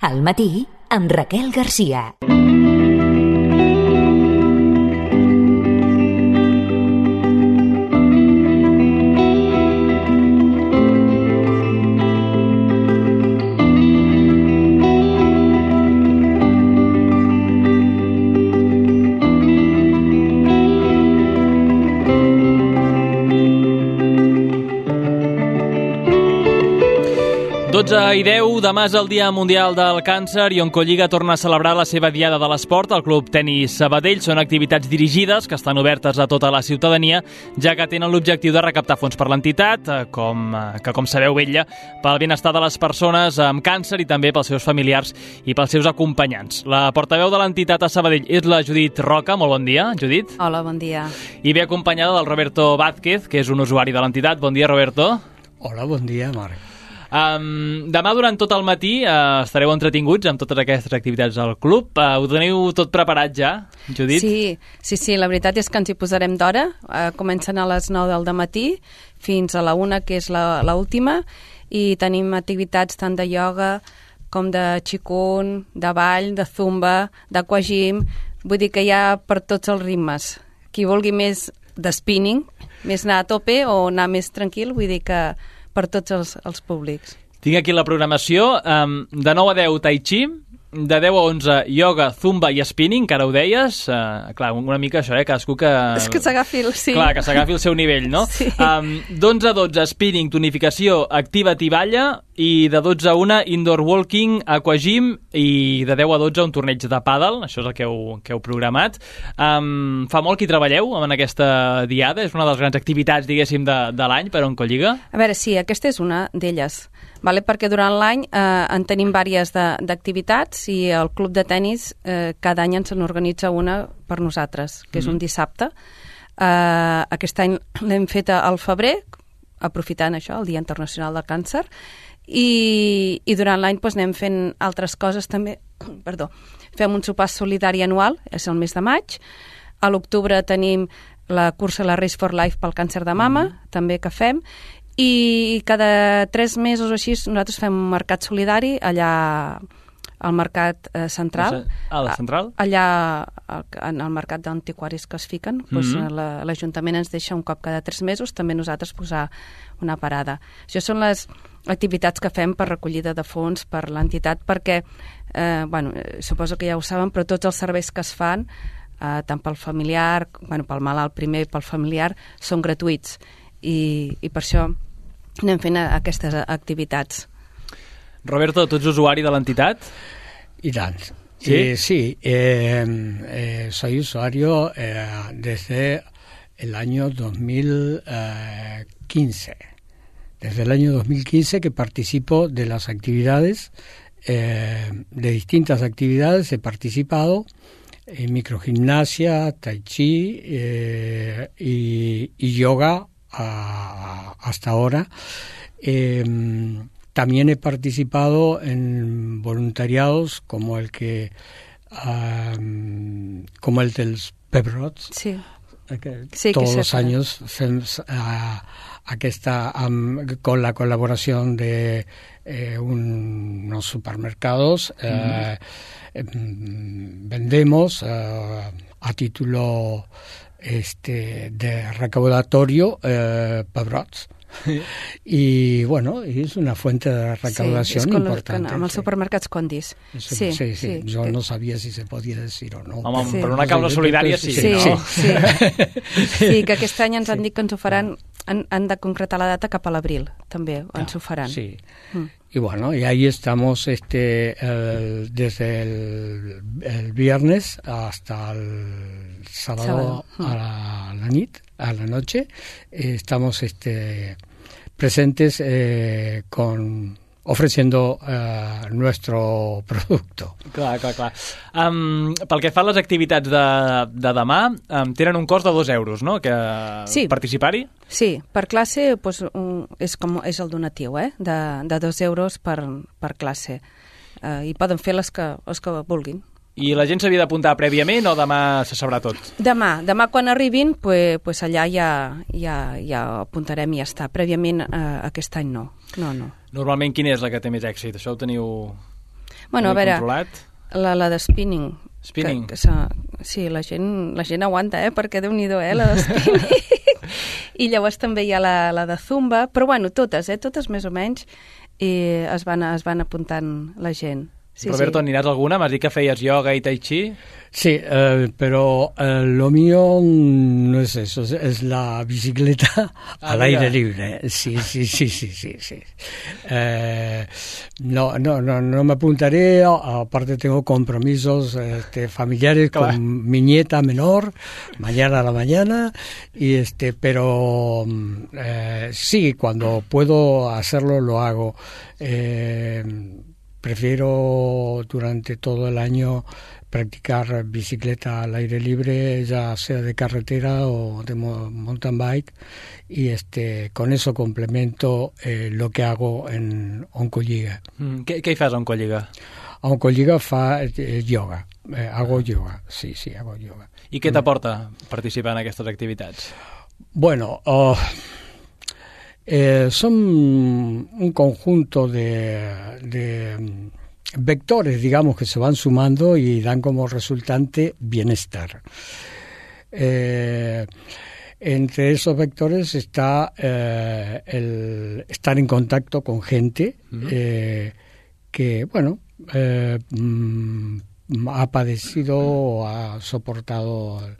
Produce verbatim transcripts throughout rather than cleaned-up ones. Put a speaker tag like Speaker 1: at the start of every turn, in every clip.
Speaker 1: Al matí, amb Raquel Garcia.
Speaker 2: dotze i deu, demà és el Dia Mundial del Càncer i Oncolliga torna a celebrar la seva Diada de l'Esport al Club Tenis Sabadell. Són activitats dirigides que estan obertes a tota la ciutadania, ja que tenen l'objectiu de recaptar fons per l'entitat, com, que com sabeu vetlla pel benestar de les persones amb càncer i també pels seus familiars i pels seus acompanyants. La portaveu de l'entitat a Sabadell és la Judit Roca. Molt bon dia, Judit.
Speaker 3: Hola, bon dia.
Speaker 2: I ve acompanyada del Roberto Vázquez, que és un usuari de l'entitat. Bon dia, Roberto.
Speaker 4: Hola, bon dia, Marc.
Speaker 2: Um, demà durant tot el matí uh, estareu entretinguts amb totes aquestes activitats al club. Uh, ho teniu tot preparat ja, Judit?
Speaker 3: Sí, sí, sí, la veritat és que ens hi posarem d'hora. Uh, comencen a les nou del matí fins a la una, que és l'última, i tenim activitats tant de ioga com de qigong, de ball, de zumba, d'aquagym. Vull dir que hi ha per tots els ritmes. Qui vulgui més de spinning, més anar a tope o anar més tranquil, vull dir que per tots els, els públics.
Speaker 2: Tinc aquí la programació. Um, de nou a deu tai chi, de deu a onze ioga, zumba i spinning, que ara ho deies. Uh, clar, una mica això, eh? Cadascú que...
Speaker 3: És que s'agafi el... Sí.
Speaker 2: Clar, que s'agafi el seu nivell, no?
Speaker 3: Sí.
Speaker 2: Um, d'onze a dotze spinning, tonificació, activa't i balla, i de dotze a una indoor walking, aquagym, i de deu a dotze un torneig de pàdel. Això és el que heu, que heu programat. Um, fa molt que hi treballeu en aquesta diada? És una de les grans activitats, diguéssim, de, de l'any per Oncolliga?
Speaker 3: A veure, sí, aquesta és una d'elles. Vale? Perquè durant l'any eh, en tenim diverses d'activitats i el club de tennis eh, cada any ens n'organitza una per nosaltres, que és mm-hmm. un dissabte. Eh, aquest any l'hem fet al febrer, aprofitant això, el Dia Internacional del Càncer, i, i durant l'any doncs, anem fent altres coses també. Perdó. Fem un sopar solidari anual, és el mes de maig. A l'octubre tenim la cursa la Race for Life pel càncer de mama, mm-hmm. també que fem, i cada tres mesos o així nosaltres fem un mercat solidari allà al mercat eh, central.
Speaker 2: A la central?
Speaker 3: Allà en el mercat d'antiquaris que es fiquen, doncs, mm-hmm. l'Ajuntament ens deixa un cop cada tres mesos també nosaltres posar una parada. Això són les activitats que fem per recollida de fons per l'entitat, perquè eh, bueno, suposo que ja ho saben, però tots els serveis que es fan, eh, tant pel familiar, bueno, pel malalt primer i pel familiar, són gratuïts, i, i per això anem fent aquestes activitats.
Speaker 2: Roberto, tu ets usuari de l'entitat?
Speaker 4: Y tal.
Speaker 2: Sí,
Speaker 4: eh, sí eh, eh, soy usuario eh, desde el año dos mil quince. Desde el año dos mil quince que participo de las actividades, eh, de distintas actividades he participado en microgimnasia, tai chi eh, y, y yoga a, hasta ahora. Eh, también he participado en voluntariados como el que um, como el del Pebrots.
Speaker 3: Sí.
Speaker 4: Que
Speaker 3: sí,
Speaker 4: todos
Speaker 3: que
Speaker 4: los años fem, uh, aquesta, um, con la colaboración de eh, un, unos supermercados uh, mm. vendemos uh, a título este de recaudatorio eh, pebrots. I, bueno, és una fuente de recaudació
Speaker 3: sí,
Speaker 4: important.
Speaker 3: Amb els supermercats Condis.
Speaker 4: Sí,
Speaker 3: sí,
Speaker 4: sí, sí.
Speaker 3: sí.
Speaker 4: Jo no sabia si se podia dir o no.
Speaker 2: Home,
Speaker 3: sí.
Speaker 2: per una causa solidària sí,
Speaker 3: sí,
Speaker 2: no?
Speaker 3: Sí, sí. Sí, que aquest any ens han dit que ens ho faran, han, han de concretar la data cap a l'abril, també, ens ho faran.
Speaker 4: Sí.
Speaker 3: Mm.
Speaker 4: Y bueno, y ahí estamos este el, desde el, el viernes hasta el sábado, sábado. A, la, a la nit, a la noche, eh, estamos este presentes eh, con ofreciendo uh, nuestro producto.
Speaker 2: Clar, clar, clar. Um, pel que fa a les activitats de, de demà, um, tenen un cost de dos euros, no?, que
Speaker 3: sí.
Speaker 2: Participar-hi?
Speaker 3: Sí, per classe pues, un, és, com, és el donatiu, eh?, de, de dos euros per, per classe. Uh, I poden fer les que, les que vulguin.
Speaker 2: I la gent s'havia d'apuntar prèviament o demà se sabrà tot?
Speaker 3: Demà, demà quan arribin, pues, pues allà ja, ja, ja apuntarem i ja està. Prèviament eh, aquest any no. no, no.
Speaker 2: Normalment quina és la que té més èxit? Això ho teniu...
Speaker 3: Bueno, a veure,
Speaker 2: controlat.
Speaker 3: la, la de spinning.
Speaker 2: Spinning.
Speaker 3: Que, que, sí, la gent, la gent aguanta, eh? Perquè Déu-n'hi-do, eh? La de spinning. I llavors també hi ha la, la de zumba, però bueno, totes, eh? Totes més o menys, i es van, es van apuntant la gent. Sí,
Speaker 2: Roberto,
Speaker 3: sí.
Speaker 2: ¿anirás alguna? M'has dit que feies yoga y tai chi.
Speaker 4: Sí, eh, pero eh, lo mío no es eso, es, es la bicicleta
Speaker 2: Ah,
Speaker 4: al
Speaker 2: mira.
Speaker 4: aire libre. Sí, sí, sí, sí, sí, sí. Eh, no, no, no, no me apuntaré, a- aparte tengo compromisos este, familiares
Speaker 2: Claro.
Speaker 4: con mi nieta menor, mañana a la mañana, y este, pero eh, sí, cuando puedo hacerlo lo hago. Eh, Prefiero durante todo el año practicar bicicleta al aire libre, ya sea de carretera o de mo- mountain bike, y este con eso complemento eh, lo que hago en Oncolliga.
Speaker 2: Mm, què, què hi fas a Oncolliga?
Speaker 4: A Oncolliga fa eh, yoga, eh, hago yoga, sí, sí, hago yoga.
Speaker 2: I què t'aporta participar en aquestes activitats?
Speaker 4: Bueno, oh, eh, son un conjunto de, de mm, vectores, digamos, que se van sumando y dan como resultante bienestar. Eh, entre esos vectores está eh, el estar en contacto con gente eh, que, bueno, eh, mm, ha padecido o ha soportado el,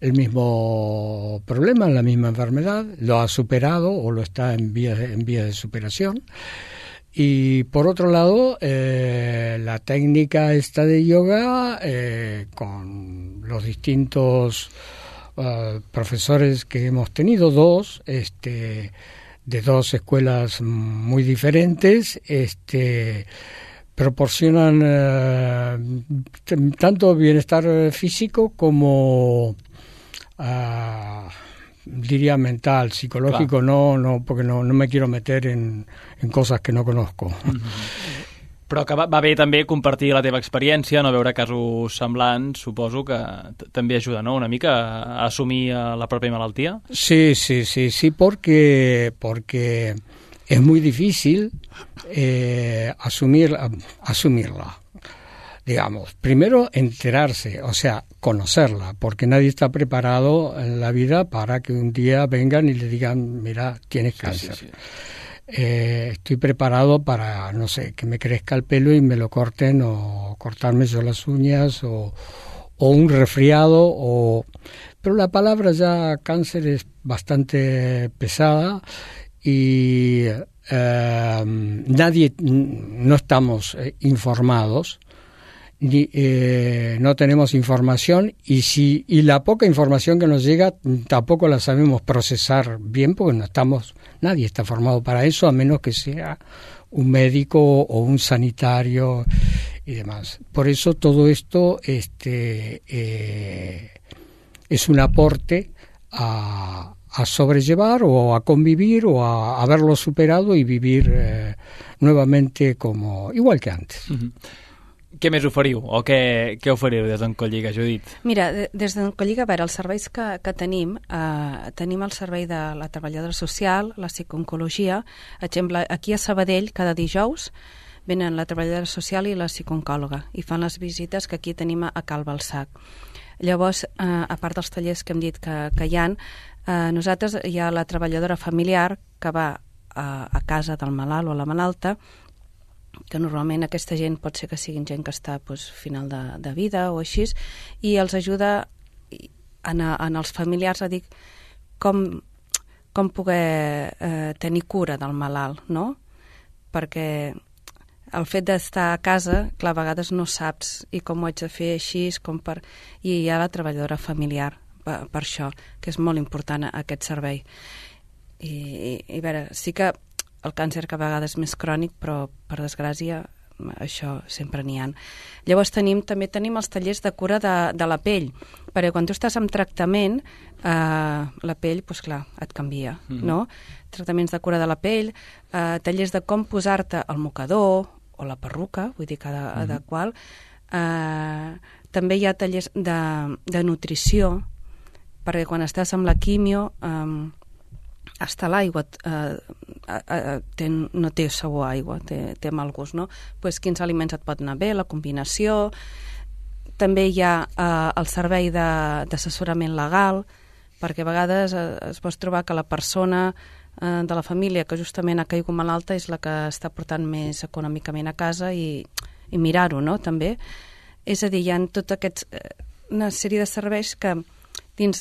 Speaker 4: el mismo problema, la misma enfermedad, lo ha superado o lo está en vía de, en vía de superación. Y por otro lado, eh, la técnica esta de yoga, eh, con los distintos uh, profesores que hemos tenido, dos, este, de dos escuelas muy diferentes, este, proporcionan eh, t- tanto bienestar físico como uh, diría mental, psicológico.
Speaker 2: Clar.
Speaker 4: no, no, porque no, no me quiero meter en, en cosas que no conozco.
Speaker 2: Però que va, va bé també compartir la teva experiència, no veure casos semblants, suposo que t- també ajuda, no?, una mica a assumir eh, la pròpia malaltia.
Speaker 4: Sí, sí, sí, sí, porque, porque es muy difícil eh, asumir, asumirla. Digamos, primero enterarse, o sea, conocerla, porque nadie está preparado en la vida para que un día vengan y le digan, mira, tienes cáncer.
Speaker 2: Sí, sí, sí.
Speaker 4: Eh, estoy preparado para, no sé, que me crezca el pelo y me lo corten, o cortarme yo las uñas, o, o un resfriado, o... Pero la palabra ya cáncer es bastante pesada y eh, nadie, no estamos eh, informados, ni, eh, no tenemos información, y si y la poca información que nos llega tampoco la sabemos procesar bien, porque no estamos, nadie está formado para eso, a menos que sea un médico o un sanitario y demás. Por eso todo esto este eh, es un aporte a, a sobrellevar o a convivir o a haberlo superado y vivir eh, nuevamente como igual que antes.
Speaker 2: Mm-hmm. Què més oferiu o què, què oferiu des d'Oncolliga, Judit?
Speaker 3: Mira, de- des d'Oncolliga, a veure, els serveis que, que tenim, eh, tenim el servei de la treballadora social, la psicooncologia. Per exemple, aquí a Sabadell, cada dijous, venen la treballadora social i la psicooncòloga i fan les visites que aquí tenim a, a Cal Balsac. Llavors, eh, a part dels tallers que hem dit que, que hi ha, eh, nosaltres hi ha la treballadora familiar que va a, a casa del malalt o la malalta, que normalment aquesta gent pot ser que siguin gent que està doncs, final de, de vida o així, i els ajuda en, a, en els familiars a dir com, com poder eh, tenir cura del malalt, no? Perquè el fet d'estar a casa, clar, a vegades no saps i com ho haig de fer així, com per... i hi ha la treballadora familiar per, per això, que és molt important aquest servei. I, i, i a veure, sí que el càncer que a vegades és més crònic, però per desgràcia això sempre n'hi ha. Llavors tenim, també tenim els tallers de cura de, de la pell, perquè quan tu estàs en tractament, eh, la pell, doncs clar, et canvia, mm-hmm. no? Tractaments de cura de la pell, eh, tallers de com posar-te el mocador o la perruca, vull dir, cada mm-hmm. de qual. Eh, també hi ha tallers de, de nutrició, perquè quan estàs amb la quimio... Eh, hasta l'aigua eh, eh, té, no té sabor a aigua, té, té mal gust, no? Pues quins aliments et pot anar bé, la combinació. També hi ha eh, el servei d'assessorament legal, perquè a vegades eh, es pot trobar que la persona eh, de la família que justament ha caigut malalta és la que està portant més econòmicament a casa i, i mirar-ho, no?, també. És a dir, hi ha tot aquests, una sèrie de serveis que dins,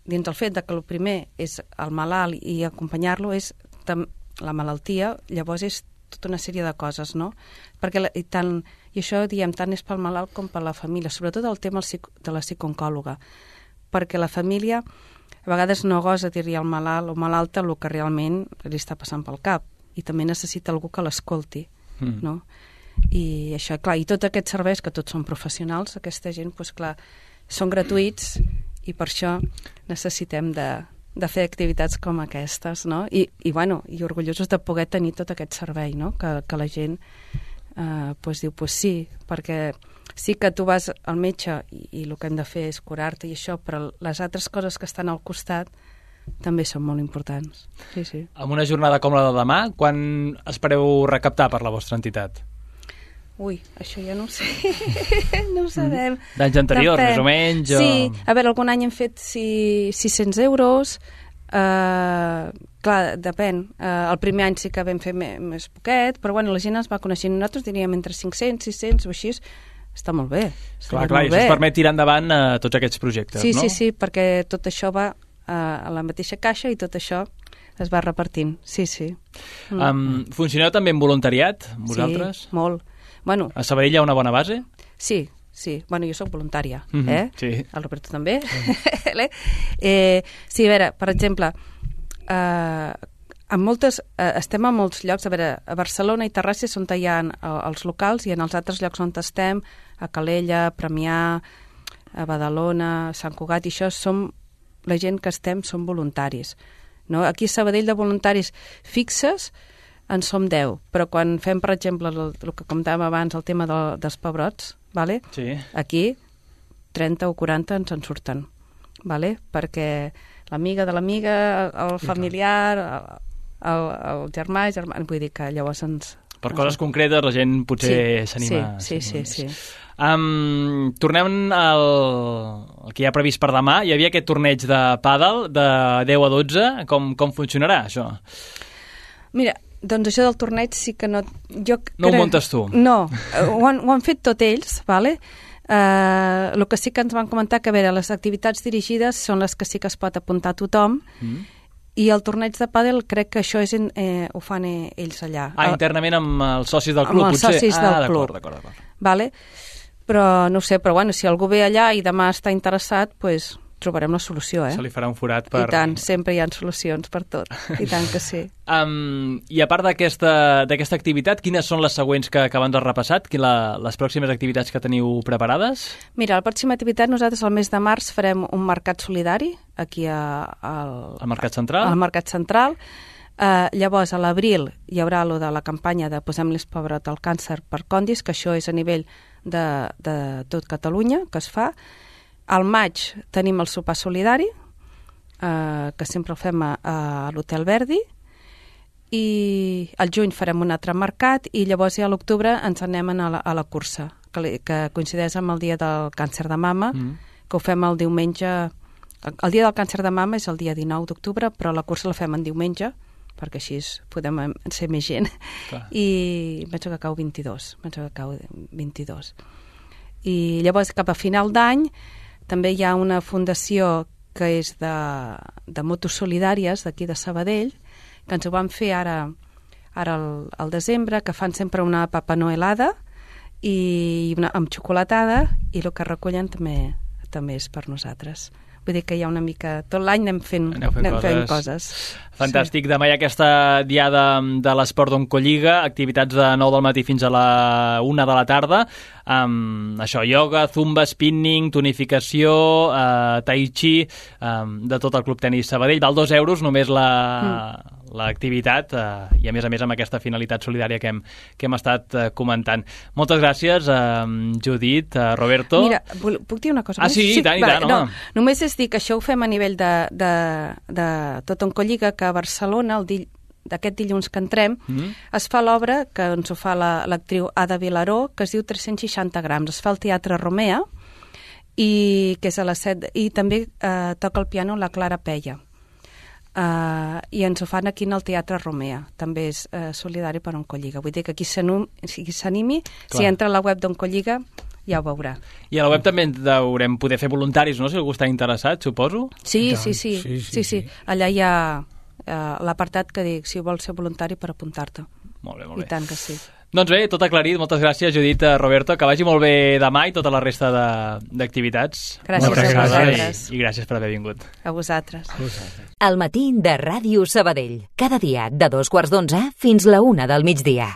Speaker 3: dins el fet de que el primer és el malalt i acompanyar-lo és tam, la malaltia, llavors és tota una sèrie de coses, no? Perquè la, i, tant, i això diem tant és pel malalt com per la família, sobretot el tema de la psicooncòloga, perquè la família a vegades no gosa dir-li al malalt o malalta el que realment li està passant pel cap i també necessita algú que l'escolti, mm. no? I això, clar, i tots aquests serveis que tots són professionals, aquesta gent, doncs clar, són gratuïts i per això necessitem de, de fer activitats com aquestes, no? I, i, bueno, i orgullosos de poder tenir tot aquest servei, no? Que, que la gent eh, pues, diu, pues sí, perquè sí que tu vas al metge i, i el que hem de fer és curar-te i això, però les altres coses que estan al costat també són molt importants. Sí, sí.
Speaker 2: Amb una jornada com la de demà, quan espereu recaptar per la vostra entitat?
Speaker 3: Ui, això ja no ho sé, no ho sabem.
Speaker 2: D'anys anteriors, més o menys? O...
Speaker 3: Sí, a veure, algun any hem fet si, sis-cents euros, uh, clar, depèn. Uh, el primer any sí que vam fer més, més poquet, però bueno, la gent es va coneixent. Nosaltres diríem entre cinc-cents, sis-cents o així, està molt bé. Està
Speaker 2: clar, clar, i això
Speaker 3: bé.
Speaker 2: us permet tirar endavant uh, tots aquests projectes,
Speaker 3: sí,
Speaker 2: no?
Speaker 3: Sí, sí, perquè tot això va uh, a la mateixa caixa i tot això es va repartint, sí, sí.
Speaker 2: Mm. Um, funcioneu també en voluntariat, vosaltres?
Speaker 3: Sí, molt. Bueno,
Speaker 2: a Sabadell hi ha una bona base?
Speaker 3: Sí, sí. Bueno, jo sóc voluntària,
Speaker 2: mm-hmm,
Speaker 3: eh?
Speaker 2: Sí.
Speaker 3: El Roberto també. Mm. eh, sí, a veure, per exemple, eh, en moltes, eh, estem a molts llocs, a veure, a Barcelona i Terrassa és on hi ha els locals i en els altres llocs on estem, a Calella, a Premià, a Badalona, a Sant Cugat, i això som, la gent que estem som voluntaris. No? Aquí a Sabadell de voluntaris fixes en som deu, però quan fem, per exemple, el, el que comentàvem abans, el tema de, dels pebrots, vale? Sí. Aquí trenta o quaranta ens en surten, vale? Perquè l'amiga de l'amiga, el familiar, el, el, el germà, el germà, vull dir que llavors ens...
Speaker 2: Per coses concretes la gent potser s'anima.
Speaker 3: Sí, sí, sí, sí.
Speaker 2: Um, tornem al, al que hi ha previst per demà. Hi havia aquest torneig de pàdel de deu a dotze. Com, com funcionarà, això?
Speaker 3: Mira, doncs això del torneig sí que no... Jo
Speaker 2: no crec... ho muntes tu?
Speaker 3: No, ho han, ho han fet tot ells, vale? Uh, el que sí que ens van comentar que, a veure, les activitats dirigides són les que sí que es pot apuntar a tothom, mm. i el torneig de pàdel crec que això és en, eh, ho fan eh, ells allà.
Speaker 2: Ah, internament amb els socis del club,
Speaker 3: amb els
Speaker 2: potser?
Speaker 3: socis del
Speaker 2: ah,
Speaker 3: club.
Speaker 2: D'acord, d'acord.
Speaker 3: Vale? Però no ho sé, però bueno, si algú ve allà i demà està interessat, doncs pues, trobarem la solució, eh?
Speaker 2: Se li farà un forat per...
Speaker 3: I tant, sempre hi ha solucions per tot, i tant que sí.
Speaker 2: Um, I a part d'aquesta d'aquesta activitat, quines són les següents que, que abans has repassat? La, les pròximes activitats que teniu preparades?
Speaker 3: Mira, la pròxima activitat nosaltres al mes de març farem un mercat solidari aquí a, al,
Speaker 2: al Mercat Central.
Speaker 3: Al Mercat Central. Uh, llavors, a l'abril hi haurà lo de la campanya de Posem-los Pebrot al càncer per Condis, que això és a nivell de, de tot Catalunya, que es fa. Al maig tenim el sopar solidari, eh, que sempre el fem a, a l'Hotel Verdi, i al juny farem un altre mercat, i llavors ja a l'octubre ens anem a la, a la cursa, que, li, que coincideix amb el dia del càncer de mama, mm. que ho fem el diumenge... El dia del càncer de mama és el dia dinou d'octubre, però la cursa la fem en diumenge, perquè així podem ser més gent. Clar. I penso que cau vint-i-dos, penso que cau vint-i-dos. I llavors, cap a final d'any, també hi ha una fundació que és de, de motos solidàries d'aquí de Sabadell, que ens ho van fer ara, ara al, al desembre, que fan sempre una Papa Noelada i una, amb xocolatada, i el que recullen també, també és per nosaltres. Vull dir que hi ha una mica... Tot l'any anem fent,
Speaker 2: fent,
Speaker 3: anem
Speaker 2: coses.
Speaker 3: fent coses.
Speaker 2: Fantàstic. Sí. Demà hi ha aquesta diada de l'esport d'Oncolliga, activitats de nou del matí fins a la una de la tarda. Um, això, ioga, zumba, spinning, tonificació, uh, tai chi, um, de tot el Club Tenis Sabadell. Val dos euros només la... Mm. l'activitat uh, i a més a més amb aquesta finalitat solidària que hem, que hem estat uh, comentant. Moltes gràcies, uh, Judit, uh, Roberto.
Speaker 3: Mira, puc dir una cosa
Speaker 2: ah,
Speaker 3: més?
Speaker 2: sí, i tant, i tant,
Speaker 3: vale, no, només és dir que això ho fem a nivell de, de, de tot Oncolliga, que a Barcelona, el dill, d'aquest dilluns que entrem, mm. es fa l'obra que ens ho fa l'actriu la, Ada Vilaró, que es diu tres-cents seixanta grams. Es fa al Teatre Romea, i, que és a les set, i també eh, toca el piano la Clara Peia. Uh, I ens ho fan aquí en el Teatre Romea. També és uh, solidari per Oncolliga. Vull dir que qui s'animi, si entra a la web d'Oncolliga, ja ho veurà.
Speaker 2: I a la web també haurem poder fer voluntaris, no?, si algú està interessat, suposo?
Speaker 3: Sí, sí, sí. sí, sí, sí, sí. Allà hi ha uh, l'apartat que dic si vols ser voluntari per apuntar-te.
Speaker 2: Molt bé, molt bé.
Speaker 3: I tant que sí.
Speaker 2: Doncs bé, tot aclarit. Moltes gràcies, Judit, Roberto. Que vagi molt bé demà i tota la resta d'activitats.
Speaker 3: Gràcies a vosaltres.
Speaker 2: I, I gràcies per haver vingut.
Speaker 3: A vosaltres.
Speaker 4: A vosaltres.
Speaker 1: El matí de Ràdio Sabadell. Cada dia de dos quarts d'onze fins la una del migdia.